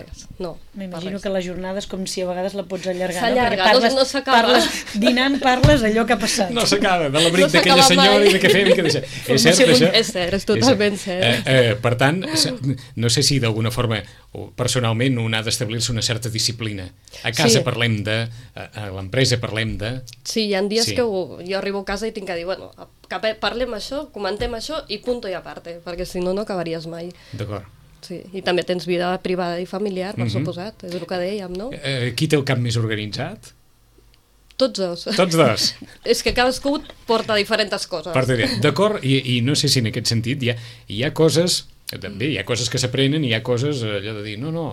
no, m'imagino que la jornada és com si a vegades la pots allargar. S'allarga, no? no, no s'acaba. Dinant parles allò que ha passat. No s'acaba, de l'abric no d'aquella senyora i de què fem i què deixem. És cert, això? És cert, és totalment cert. Eh, eh, per tant, no sé si d'alguna forma o personalment un ha d'establir-se una certa disciplina. A casa sí. parlem de, a, a l'empresa parlem de... Sí, hi ha dies sí. que ho, jo arribo a casa i tinc que dir, bueno, parlem això, comentem això i punto i a parte, perquè si no, no acabaries mai. D'acord. Sí, i també tens vida privada i familiar, per mm-hmm. suposat, és el que dèiem, no? Eh, qui té el cap més organitzat? Tots dos. Tots dos. És que cadascú porta diferents coses. D'acord, i, i no sé si en aquest sentit hi ha, hi ha coses... També hi ha coses que s'aprenen i hi ha coses allò de dir, no, no,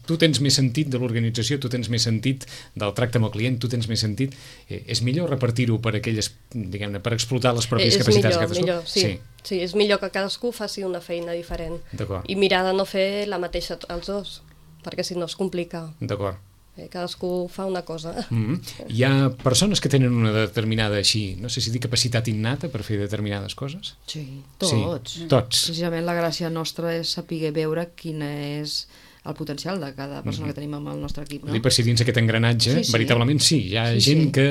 tu tens més sentit de l'organització, tu tens més sentit del tracte amb el client, tu tens més sentit, eh, és millor repartir-ho per aquelles, diguem-ne, per explotar les pròpies és capacitats millor, de cadascú? Millor, sí. Sí. sí, és millor que cadascú faci una feina diferent i mirar de no fer la mateixa els dos, perquè si no es complica. D'acord. Cadascú fa una cosa. Mm-hmm. Hi ha persones que tenen una determinada, així, no sé si dir capacitat innata per fer determinades coses? Sí, tots. Sí, tots. Precisament la gràcia nostra és saber veure quin és el potencial de cada persona mm-hmm. que tenim amb el nostre equip. No? Dir per si dins aquest engranatge, sí, sí. veritablement sí, hi ha sí, gent sí. que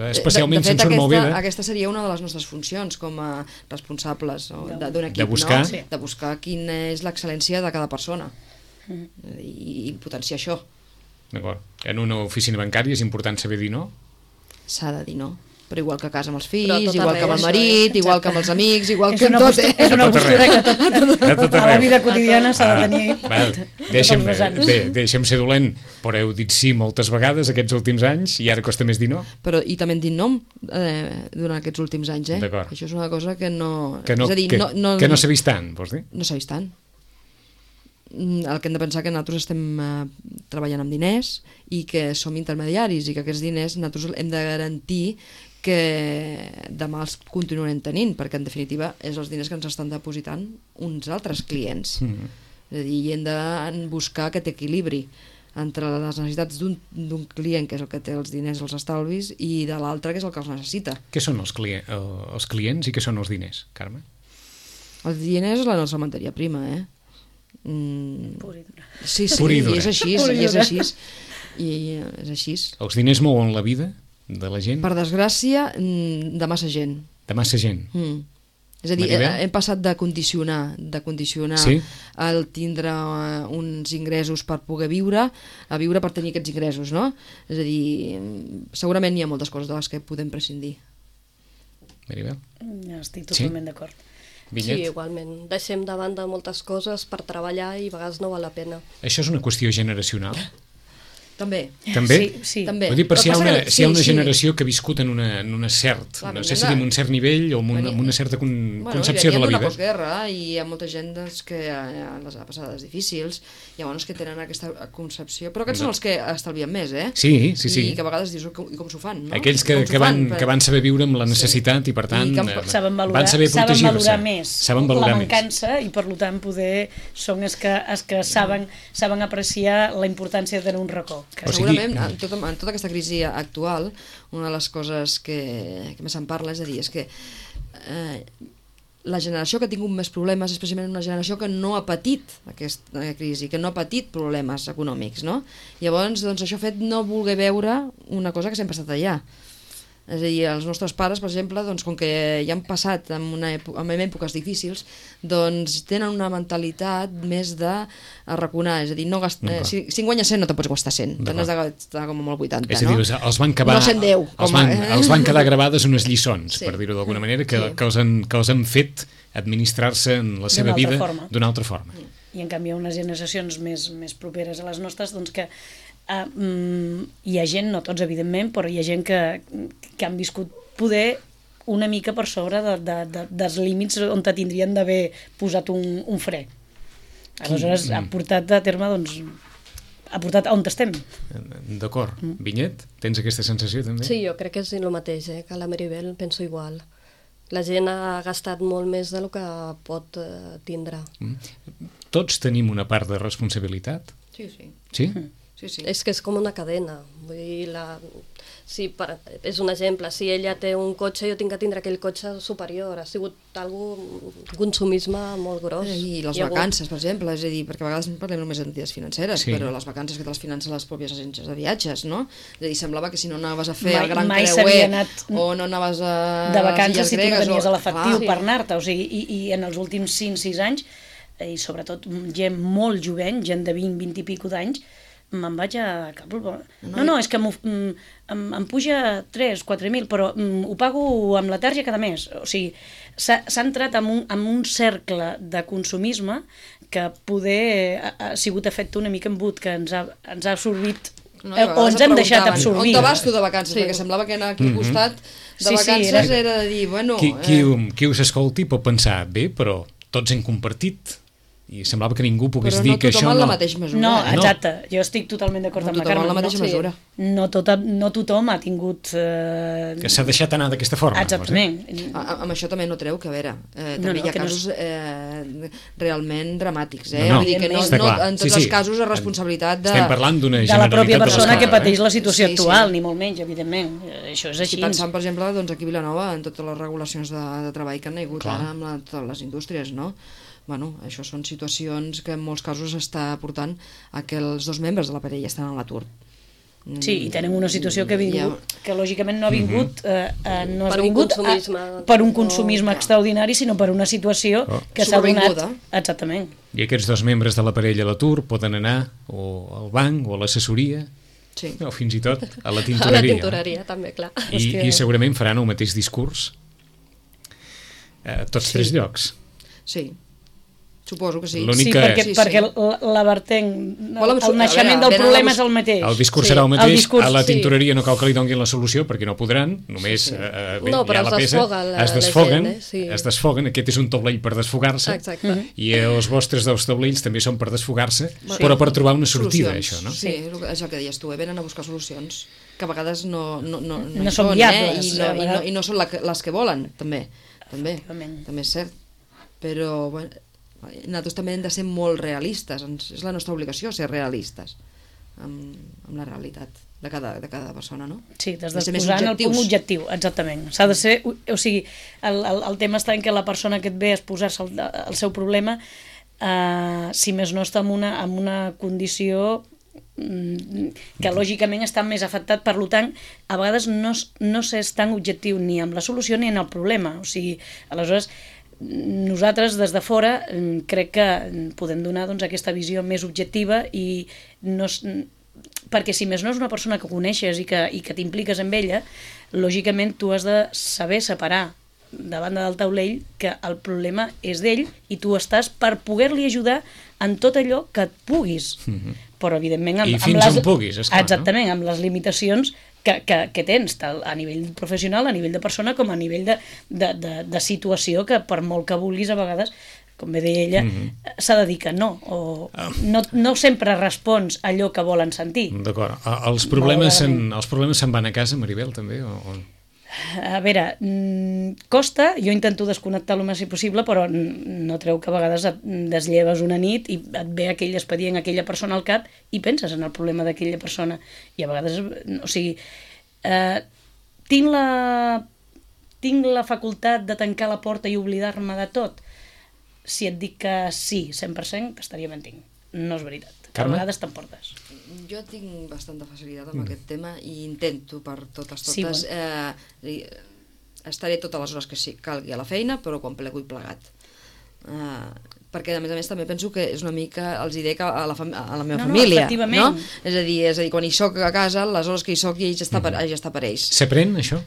especialment se'n surt molt bé. De... Aquesta seria una de les nostres funcions com a responsables no? d'un equip, de buscar, no? de buscar quina és l'excel·lència de cada persona mm. i, i potenciar això. D'acord. En una oficina bancària és important saber dir no? S'ha de dir no. Però igual que a casa amb els fills, igual que amb el marit, igual que amb els amics, igual que amb tot. És una postura que tot, a la vida quotidiana s'ha de tenir. Deixa'm, bé, deixa'm ser dolent, però heu dit sí moltes vegades aquests últims anys i ara costa més dir no? Però i també hem dit no eh, durant aquests últims anys, eh? Això és una cosa que no... Que no, és a dir, que, no, no, que no s'ha vist tant, vols dir? No s'ha vist tant. El que hem de pensar que nosaltres estem eh, treballant amb diners i que som intermediaris i que aquests diners nosaltres hem de garantir que demà els continuarem tenint, perquè en definitiva és els diners que ens estan depositant uns altres clients. Mm-hmm. És a dir, i hem de buscar aquest equilibri entre les necessitats d'un client, que és el que té els diners, els estalvis, i de l'altre, que és el que els necessita. Què són els, client, els clients i què són els diners, Carme? Els diners és la nostra matèria prima, eh? Mm. Pur i dura. Sí, sí, i és així, i és així. I és així. Els diners mouen la vida de la gent? Per desgràcia, de massa gent. De massa gent. Mm. És a dir, Maribel? hem passat de condicionar, de condicionar sí? el tindre uns ingressos per poder viure, a viure per tenir aquests ingressos, no? És a dir, segurament hi ha moltes coses de les que podem prescindir. Maribel? Ja estic totalment sí? d'acord. Vinyet? Sí, igualment. Deixem de banda moltes coses per treballar i a vegades no val la pena. Això és una qüestió generacional? També. També? Sí, sí. També. Vull dir, per si hi ha una, si hi ha una sí, generació sí. que ha viscut en una, en una cert, clar, no sé si en un cert nivell o en una, en una certa con, bueno, concepció de la vida. Bueno, postguerra i hi ha molta gent doncs, que les ha passades difícils, llavors que tenen aquesta concepció, però aquests no. són els que estalvien més, eh? Sí, sí, sí. I que a vegades dius, com, com s'ho fan, no? Aquells que, que, van, fan, que van saber viure amb la necessitat sí. i per tant I saben valorar, van saber saben valorar més saben valorar la mancança més. I per tant poder són els que, els que saben, saben apreciar la importància de tenir un racó. Però segurament, en tota, en tota aquesta crisi actual, una de les coses que, que més se'n parla, és a dir, és que eh, la generació que ha tingut més problemes és precisament una generació que no ha patit aquesta crisi, que no ha patit problemes econòmics, no? Llavors, doncs, això ha fet no voler veure una cosa que sempre ha estat allà. És a dir, els nostres pares, per exemple, doncs, com que ja han passat en, una època, en èpoques difícils, doncs tenen una mentalitat més de arraconar, és a dir, no gast... eh, si, si en guanyes cent no te pots gastar cent, te n'has de gastar com molt vuitanta, és a dir, no? els van acabar, no cent deu, els, van, els van quedar gravades unes lliçons, sí. per dir-ho d'alguna manera, que, sí. que, els han, que els han fet administrar-se en la seva vida d'una altra forma. I en canvi unes generacions més, més properes a les nostres, doncs que Uh, um, hi ha gent, no tots evidentment, però hi ha gent que, que han viscut poder una mica per sobre de, de, de, dels límits on te tindrien d'haver posat un, un fre. Aleshores mm. ha portat a terme, doncs, ha portat on estem. D'acord. Mm. Vinyet, tens aquesta sensació també? Sí, jo crec que és el mateix, eh? Que la Maribel penso igual. La gent ha gastat molt més del que pot eh, tindre. Mm. Tots tenim una part de responsabilitat? Sí, sí. Sí? Mm. Sí, sí. És que és com una cadena. Vull dir, la... si per... és un exemple, si ella té un cotxe, jo tinc que tindre aquell cotxe superior. Ha sigut algo, un consumisme molt gros. I les vacances, per exemple, és a dir, perquè a vegades parlem només d'entitats financeres, sí. però les vacances que te les financen les pròpies agències de viatges, no? És a dir, semblava que si no anaves a fer mai, el Gran Creuer anat o no anaves a de vacances si tu no tenies o... l'efectiu per anar-te, o sigui, i, i en els últims cinc sis anys, i sobretot gent molt jovent, gent de vint, vint i pico d'anys, me'n vaig a... No, no, és que em, em puja tres, quatre mil, però ho pago amb la tarja cada mes. O sigui, s'ha entrat en un, en un cercle de consumisme que poder ha, ha sigut efecte una mica embut, que ens ha, ens ha absorbit, no, o ens hem deixat absorbir. On te vas tu de vacances? Sí. Perquè semblava que aquí al costat de vacances sí, sí, era... era de dir, bueno... Qui, qui, eh... qui us escolti pot pensar, bé, però tots hem compartit... i semblava que ningú pogués dir que això no... Però no tothom en la mateixa mesura. No, exacte, jo estic totalment d'acord no amb la Carme. No tothom en la mateixa mesura. No, tota, no tothom ha tingut... Eh... Que s'ha deixat anar d'aquesta forma. Exactament. A, amb això també no treu que, a veure, eh, també no, no, hi ha casos no és... eh, realment dramàtics, eh? No, no, Vull dir que no, no, en tots sí, sí. els casos és responsabilitat de... Estem parlant d'una de la pròpia persona que pateix la situació sí, actual, sí. ni molt menys, evidentment. Això és així. Estic pensant, per exemple, doncs, aquí a Vilanova, en totes les regulacions de, de treball que han hagut Clar. ara amb la, totes les indústries, no? Bueno, això són situacions que en molts casos està portant a que els dos membres de la parella estan a l'atur. Sí, i tenen una situació que, vingut, ja. que lògicament no ha vingut, eh, eh, no per, ha vingut un a, per un consumisme oh, extraordinari, sinó per una situació oh. que s'ha donat... Exactament. I aquests dos membres de la parella a l'atur poden anar o al banc o a l'assessoria, sí. o fins i tot a la tintoreria. A la tintoreria, no? també, clar. I, I segurament faran el mateix discurs a tots sí. tres llocs. Sí. Suposo que sí. Sí, perquè, sí, perquè sí. la vertent, el, el naixement del problema és el mateix. El discurs sí. serà el mateix, el discurs, a la tintoreria sí. no cal que li donguin la solució perquè no podran, només sí, sí. Eh, bé, no, però ja la es desfoga la, es desfoguen, la gent, eh? sí. es desfoguen, aquest és un taulell per desfogar-se i els vostres dos taulells també són per desfogar-se, sí. però per trobar una sortida a això, no? Sí, és el que deies tu, eh? Venen a buscar solucions que a vegades no, no, no, no, no són viables, eh? I, no, i, no, i no són la, les que volen, també, també, també és cert, però bueno, nosaltres també hem de ser molt realistes, és la nostra obligació ser realistes amb, amb la realitat de cada, de cada persona, no? Sí, des de posar en el punt objectiu, exactament. S'ha de ser, o sigui, el, el, el tema està en que la persona que et ve a exposar-se el, el seu problema, eh, si més no està en una, en una condició que lògicament està més afectat, per tant, a vegades no, no s'és tan objectiu ni amb la solució ni en el problema. O sigui, aleshores, nosaltres des de fora crec que podem donar doncs, aquesta visió més objectiva i no, perquè si més no és una persona que coneixes i que, i que t'impliques amb ella, lògicament tu has de saber separar de banda del taulell que el problema és d'ell i tu estàs per poder-li ajudar en tot allò que et puguis, mm-hmm. però evidentment amb, i fins amb les, on puguis, esclar, exactament, no? amb les limitacions que, que, que tens, tal, a nivell professional, a nivell de persona, com a nivell de, de, de, de situació, que per molt que vulguis a vegades, com bé deia ella, mm-hmm. s'ha de dir que no, o ah. no, no sempre respons allò que volen sentir. D'acord. Els problemes se'n els problemes se'n van a casa, Maribel, també? O, o... A veure, costa, jo intento desconnectar el més possible, però no treu que a vegades et deslleves una nit i et ve aquell expedient, aquella persona al cap i penses en el problema d'aquella persona. I a vegades, o sigui, eh, tinc la, tinc la facultat de tancar la porta i oblidar-me de tot? Si et dic que sí, cent per cent, estaria mentint. No és veritat. A vegades t'emportes. Jo tinc bastanta facilitat amb mm. aquest tema i intento per totes totes. Sí, bueno. eh, estaré totes les hores que sí, calgui a la feina, però quan plego i plegat. Eh, perquè a més a més també penso que és una mica els hi dec a la, a la meva no, família, no, no? És a dir, és a dir, quan hi soc a casa, les hores que hi soc ja està per, ja està per ells. S'aprèn això?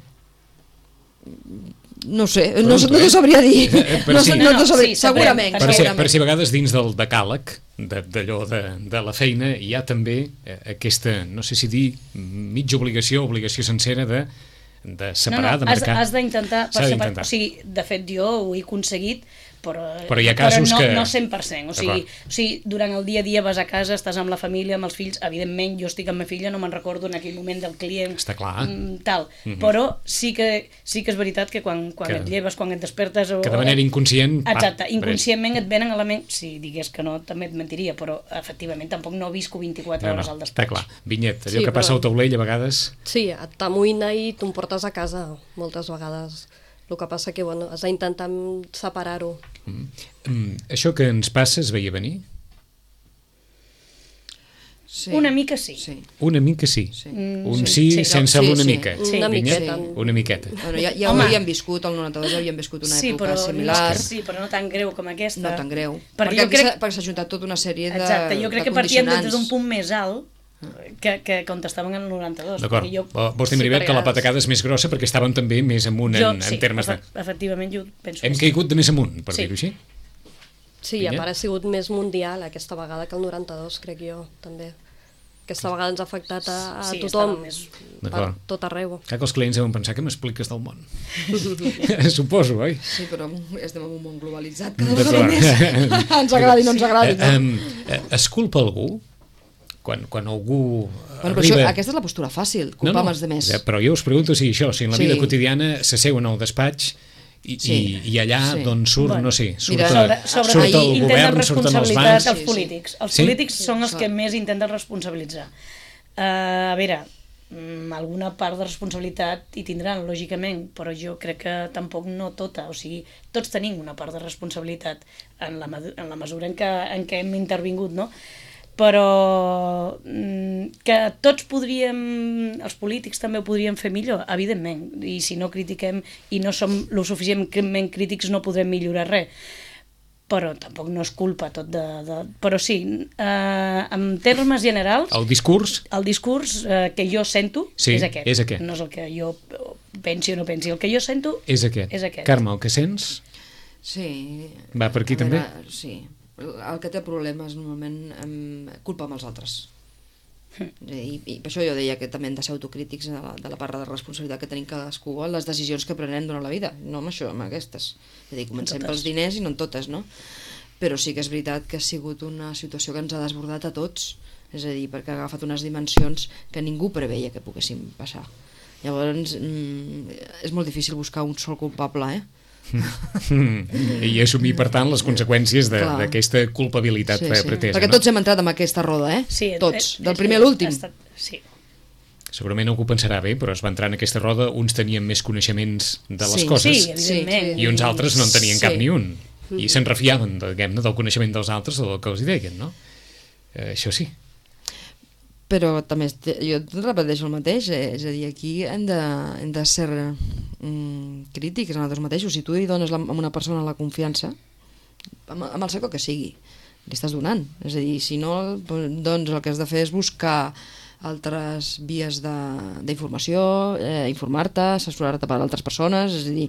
No sé, no, no t'ho sabria dir. Per no, si, no, no sabria, sí, segurament. Per si, per si a vegades dins del decàleg d'allò de, de la feina hi ha també aquesta, no sé si dir, mitja obligació, obligació sencera de, de separar, no, no, de marcar. Has, has d'intentar, o sigui, de fet jo ho he aconseguit, però, però hi ha casos però no, que... no cent per cent, o sigui, o sigui, durant el dia a dia vas a casa, estàs amb la família, amb els fills, evidentment jo estic amb ma filla, no me'n recordo en aquell moment del client, està clar. Tal, mm-hmm. però sí que, sí que és veritat que quan, quan que, et lleves, quan et despertes... O, que de manera inconscient... Exacte, pa, inconscientment et venen elements, si digués que no també et mentiria, però efectivament tampoc no visco vint-i-quatre no, no, hores al despatx. Està clar, Vinyet, allò sí, que passa però... al taulell a vegades... Sí, t'amoïna i t'ho portes a casa moltes vegades. El que passa que, bueno, has d'intentar separar-ho. Mm. Mm. Això que ens passa es veia venir? Sí. Una mica sí. sí. Una mica sí. sí. Mm, Un sí, sí, sí sense sí, l'una sí. mica. Sí. Una miqueta. Sí. Una miqueta. Bueno, ja ja ho havíem viscut, el noranta-dos ja havíem viscut una sí, època però, similar. Sí, però no tan greu com aquesta. No tan greu. Perquè, perquè crec... perquè s'ha juntat tota una sèrie de Exacte, jo crec de que partíem condicionants. des d'un punt més alt que, que contestaven en el noranta-dos. D'acord, jo... vols dir, Maribel, sí, que la patacada és més grossa perquè estàvem també més amunt jo, en, sí, en termes de... efectivament, jo penso Hem que caigut de més amunt, per sí. dir-ho així? Sí, a part ha sigut més mundial aquesta vegada que el noranta-dos, crec jo, també. Aquesta vegada ens ha afectat a, a sí, tothom, més... per tot arreu. Clar que els clients deuen pensar que m'expliques del món. Suposo, oi? Sí, però estem en un món globalitzat, cada vegada més. Ens agradi, no ens agradi. No? Eh, eh, es culpa algú? Quan, quan algú bueno, arriba... això, aquesta és la postura fàcil, culpar no, no, els demés. Però jo us pregunto si això, si en la sí. vida quotidiana s'asseuen al despatx i, sí. i, i allà sí. doncs surt, bueno, no sé, surt, mira, sobre, sobre surt el govern, surten els bancs... Els polítics, els sí? polítics són els que més intenten responsabilitzar. Uh, a veure, alguna part de responsabilitat hi tindran, lògicament, però jo crec que tampoc no tota, o sigui, tots tenim una part de responsabilitat en la, en la mesura en què, en què hem intervingut, no? Però que tots podríem, els polítics també ho podríem fer millor, evidentment, i si no critiquem i no som lo suficientment crítics no podrem millorar res, però tampoc no és culpa tot de... de... Però sí, eh, en termes generals... El discurs? El discurs eh, que jo sento sí, és aquest. és aquest. No és el que jo pensi o no pensi, el que jo sento és aquest. És aquest. Carme, el que sents? Sí. Va per aquí també? Veure, sí. El que té problemes normalment em, culpa amb els altres. I, i per això jo deia que també hem de ser autocrítics de la, de la part de responsabilitat que tenim cadascú en les decisions que prenem durant la vida, no amb això, amb aquestes. És a dir, comencem pels diners i no en totes, no? Però sí que és veritat que ha sigut una situació que ens ha desbordat a tots, és a dir, perquè ha agafat unes dimensions que ningú preveia que poguessin passar. Llavors, mm, és molt difícil buscar un sol culpable, eh? I assumir, per tant, les conseqüències d'aquesta culpabilitat sí, sí. pretesa. Perquè no? tots hem entrat en aquesta roda, eh? Sí, tots, eh, del primer a l'últim. Sí. Segurament algú pensarà bé, però es va entrar en aquesta roda, uns tenien més coneixements de les sí, coses sí, evidentment. i uns altres no en tenien sí. cap ni un. I se'n refiaven, diguem-ne, del coneixement dels altres o del que els hi deien, no? Eh, això sí. Però també, jo repeteixo el mateix, eh? És a dir, aquí hem de, hem de ser mm, crítics en nosaltres mateixos. Si tu hi dones la, a una persona la confiança, amb, amb el sector que sigui, li estàs donant. És a dir, si no, doncs el que has de fer és buscar altres vies d'informació, eh, informar-te, assessorar-te per altres persones, és a dir,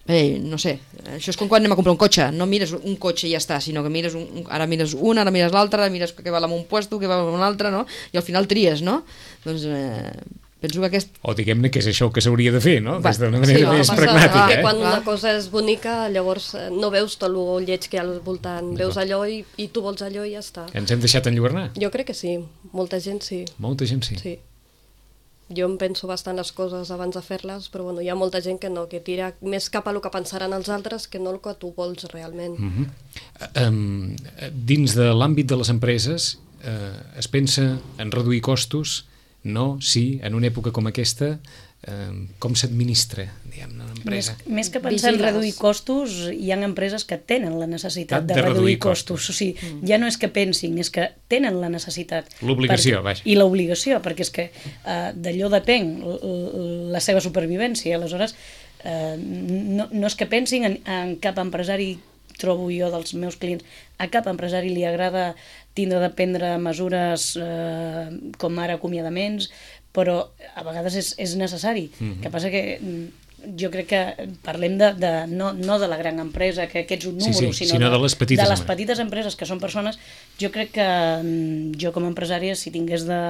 Ei, no sé, això és com quan anem a comprar un cotxe, no mires un cotxe i ja està, sinó que mires un, ara mires un, ara mires l'altre, ara mires què val en un puesto, què val en un altre, no? I al final tries, no? Doncs eh, penso que aquest... O diguem-ne que és això que s'hauria de fer, no? Va, Des d'una manera sí, més passa, pragmàtica. Que eh? quan una cosa és bonica, llavors no veus tot el lleig que hi ha al voltant, veus allò i, i tu vols allò i ja està. Ens hem deixat enlluernar? Jo crec que sí, molta gent sí. Molta gent sí. Sí. jo em penso bastant les coses abans de fer-les, però bueno, hi ha molta gent que no, que tira més cap a el que pensaran els altres que no el que tu vols realment. Mm-hmm. um, dins de l'àmbit de les empreses uh, es pensa en reduir costos? No? Sí? En una època com aquesta, uh, com s'administra, diguem, una empresa? Més, més que pensar Vigiles. en reduir costos, hi ha empreses que tenen la necessitat de, de reduir, reduir costos. costos. O sigui, mm. ja no és que pensin, és que tenen la necessitat. L'obligació, vaja. I l'obligació, perquè és que uh, d'allò depèn la seva supervivència. Aleshores, uh, no, no és que pensin en, en cap empresari, trobo jo dels meus clients, a cap empresari li agrada tindre de prendre mesures eh, com ara acomiadaments, però a vegades és, és necessari. Mm-hmm. Que passa que jo crec que parlem de, de, no, no de la gran empresa, que, que ets un número, sí, sí, sinó, sinó de, de les petites, de les petites empreses, que són persones. Jo crec que jo com a empresària, si tingués de,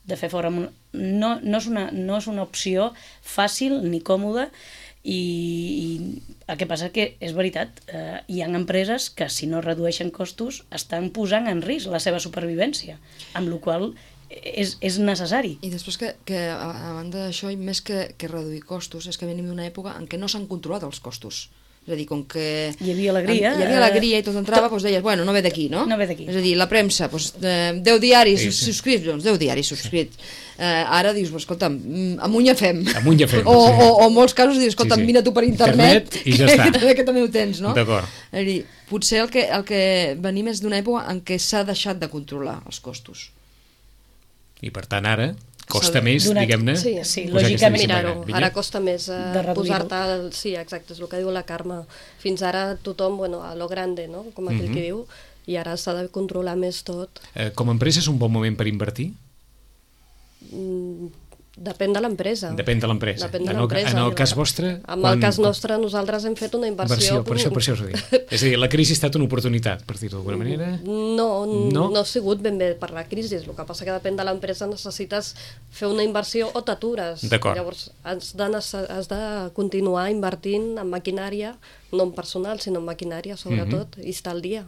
de fer fora... No, no, és una, no és una opció fàcil ni còmoda, i, i el que passa que és veritat, eh, hi ha empreses que si no redueixen costos estan posant en risc la seva supervivència, amb la qual és, és necessari. I després que, que a, a banda d'això, més que, que reduir costos, és que venim d'una època en què no s'han controlat els costos. És a dir, com que... Hi havia alegria. Hi havia alegria i tot entrava, tot... doncs deies, bueno, no ve d'aquí, no? No ve d'aquí. És a dir, la premsa, doncs, eh, deu diaris sí, sí. subscrits, doncs deu diaris subscrits. Eh, ara dius, escolta'm, amunt ja fem. Amunt ja fem, o, sí. o, o en molts casos dius, escolta'm, sí, sí. mira tu per internet, internet i ja està. que, que també ho tens, no? D'acord. És a dir, potser el que, el que venim és d'una època en què s'ha deixat de controlar els costos. I per tant ara costa més, donat, diguem-ne, sí, sí, lògicament mirar-ho. Ara costa més eh, posar-te... Sí, exacte, és el que diu la Carme. Fins ara tothom, bueno, a lo grande, no? Com aquell mm-hmm. que diu, i ara s'ha de controlar més tot. Eh, com a empresa és un bon moment per invertir? Mm, depèn de l'empresa. Depèn de l'empresa. Depèn de en, l'empresa. El, en el cas vostre... En quan... el cas nostre, nosaltres hem fet una inversió... inversió per això, per això us ho dic. És a dir, la crisi ha estat una oportunitat, per dir-ho d'alguna manera? No, no, no ha sigut ben bé per la crisi. El que passa que depèn de l'empresa, necessites fer una inversió o t'atures. D'acord. Llavors, has de, has de continuar invertint en maquinària, no en personal, sinó en maquinària, sobretot, mm-hmm. i estar al dia.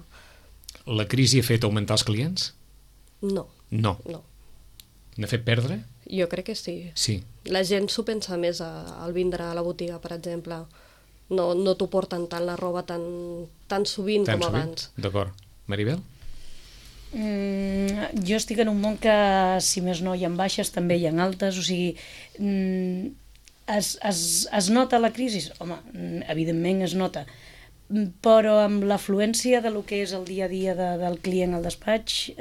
La crisi ha fet augmentar els clients? No. No. No. N'ha fet perdre? Jo crec que sí. Sí. La gent s'ho pensa més a, al vindre a la botiga, per exemple. No, no t'ho porten tant la roba tan, tan sovint tan com sovint? Abans. D'acord. Maribel? Mm, jo estic en un món que, si més no, hi ha baixes, també hi ha altes, o sigui, mm, es, es, es nota la crisi? Home, evidentment es nota, però amb l'afluència de lo que és el dia a dia de, del client al despatx,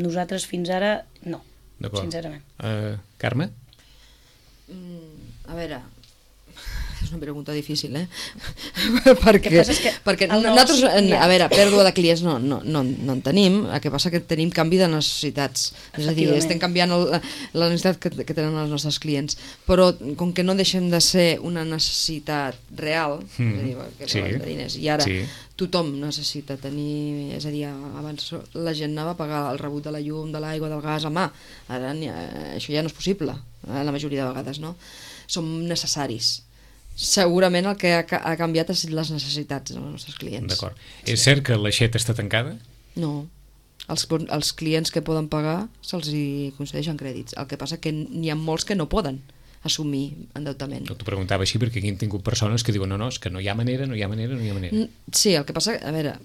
nosaltres fins ara no. Sincerament. Uh, Carme? Mm, a veure, és una pregunta difícil, eh? perquè perquè nosaltres, a veure, pèrdua de clients no, no, no, no en tenim, el que passa que tenim canvi de necessitats, és a dir, estem canviant el, la necessitat que, que tenen els nostres clients, però com que no deixem de ser una necessitat real, mm. és a dir, que sí. de diners, i ara sí. tothom necessita tenir, és a dir, abans la gent anava a pagar el rebut de la llum, de l'aigua, del gas a mà, ara això ja no és possible, la majoria de vegades, no? Som necessaris. Segurament el que ha, ha canviat és les necessitats dels nostres clients. D'acord. Sí. És cert que l'aixeta està tancada? No. Els, els clients que poden pagar se'ls hi concedeixen crèdits. El que passa que n'hi ha molts que no poden assumir endeutament. No t'ho preguntava així perquè aquí hem tingut persones que diuen no, no, és que no hi ha manera, no hi ha manera, no hi ha manera. Sí, el que passa, a veure,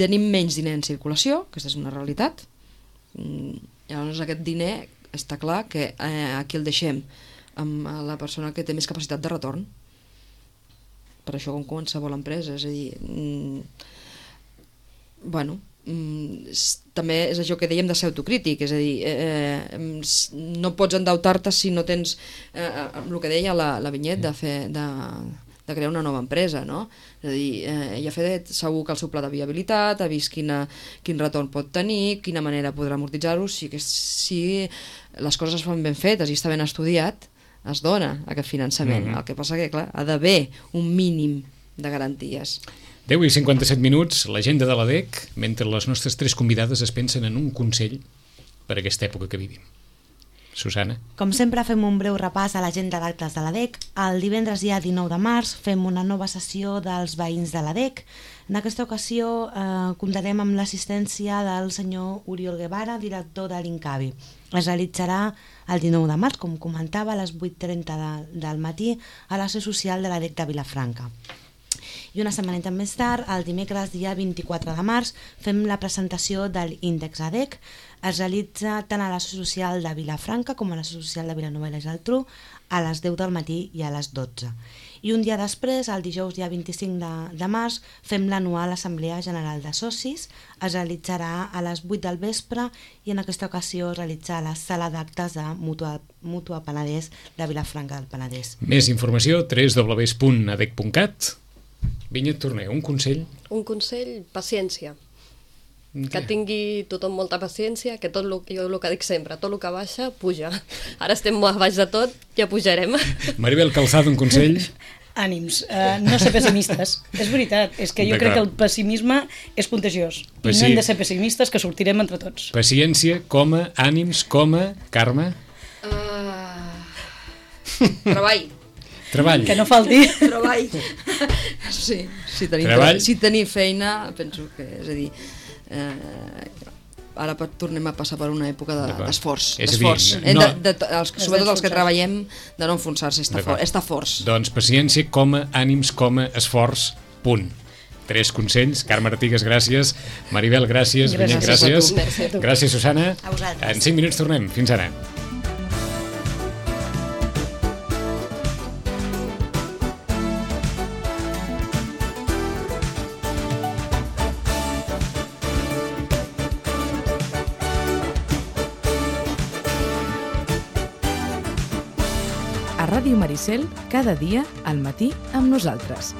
tenim menys diner en circulació, aquesta és una realitat, llavors aquest diner està clar que eh, aquí el deixem amb la persona que té més capacitat de retorn. Per això com qualsevol empresa, és a dir, mm, bueno, mm, també és això que dèiem de ser autocrític, és a dir, eh, no pots endeutar-te si no tens eh, el que deia la, la Vinyet de fer de, de crear una nova empresa, no? És a dir, eh, ja ha fet segur que el seu pla de viabilitat, ha vist quina, quin retorn pot tenir, quina manera podrà amortitzar-ho, si, si les coses es fan ben fetes i està ben estudiat, es dona aquest finançament. Mm-hmm. El que passa que, clar, ha d'haver un mínim de garanties. deu i cinquanta-set minuts, l'agenda de l'A D E C, mentre les nostres tres convidades es pensen en un consell per a aquesta època que vivim. Susana. Com sempre fem un breu repàs a l'agenda d'actes de l'A D E C. El divendres dia dinou de març fem una nova sessió dels veïns de l'A D E C. En aquesta ocasió eh, comptarem amb l'assistència del senyor Oriol Guevara, director de l'Incavi. Es realitzarà el dinou de març, com comentava, a les vuit trenta de, del matí a la seu social de l'A D E C de Vilafranca. I una setmaneta més tard, el dimecres dia vint-i-quatre de març, fem la presentació de l'Índex A D E C. Es realitza tant a la social de Vilafranca com a la social de Vilanova i la Geltrú a les deu del matí i a les dotze. I un dia després, el dijous dia vint-i-cinc de, de març, fem l'anual Assemblea General de Socis. Es realitzarà a les vuit del vespre i en aquesta ocasió es realitza a la sala d'actes de Mútua, Mútua Penedès de Vilafranca del Penedès. Més informació, w w w punt a d e c punt cat. Vinyet Torner, un consell? Un consell, paciència. Que tingui tothom molta paciència, que tot lo, jo el que dic sempre, tot el que baixa, puja. Ara estem molt baix de tot, ja pujarem. Maribel Calzado, un consell? Ànims, uh, no ser pessimistes. És veritat, és que jo crec que el pessimisme és contagiós. I no hem de ser pessimistes, que sortirem entre tots. Paciència, coma, ànims, coma, Carme? Uh... Treball. Treball. Que no falti. Treball. Sí, si tenim, Treball. si tenim feina, penso que, és a dir, eh, ara tornem a passar per una època d'esforç. De, d'esforç. Dir, no, de, de, els, sobretot els que treballem, de no enfonsar-se, estar, for, estar forts. Doncs paciència, coma, ànims, coma, esforç, punt. Tres consells. Carme Artigas, gràcies. Maribel, gràcies. Vinyet, gràcies. Gràcies, gràcies, Susana. A vosaltres. En cinc minuts tornem. Fins ara. A Ràdio Maricel, cada dia al matí amb nosaltres.